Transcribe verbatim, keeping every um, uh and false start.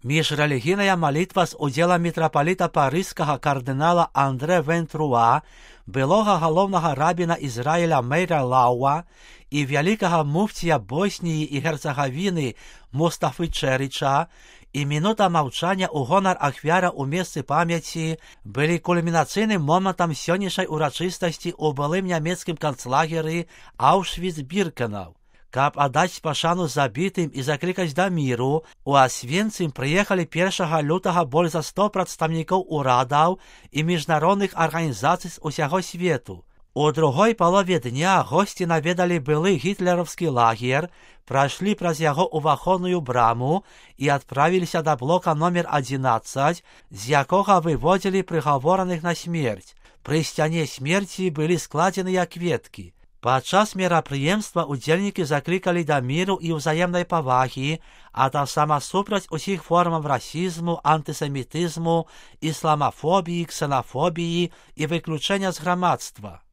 Міжрелігійна молитва з уділом митрополита паризького кардинала Андре Вентруа, былого головного рабіна Ізраїля Мейра Лауа і великого муфтія Боснії і Герцеговини Мустафи Черича, і минута мовчання у гонор ахвяра у місці пам'яті були кульмінаційним моментом сьогоднішньої урочистості у былим німецьким концлагері Аушвіц-Біркенау. Каб отдать пошану забитым и закликать до миру, у Освенцим приехали першого лютого более за сто представников урадов и международных организаций с усяго свету. У другой полові дня гості наведали былий гітлерівський лагер, пройшли праз яго уваходную браму і відправилися до блока номер одиннадцать, з якого виводили приговорених на смерть. При сцяне смерти были складены кветки. Падчас мерапрыемства удзельнікі заклікалі да міру і ўзаемнай павагі, а таксама супраць усіх формаў расізму, антысемітызму, ісламафобіі, ксенафобіі і выключэння з грамадства.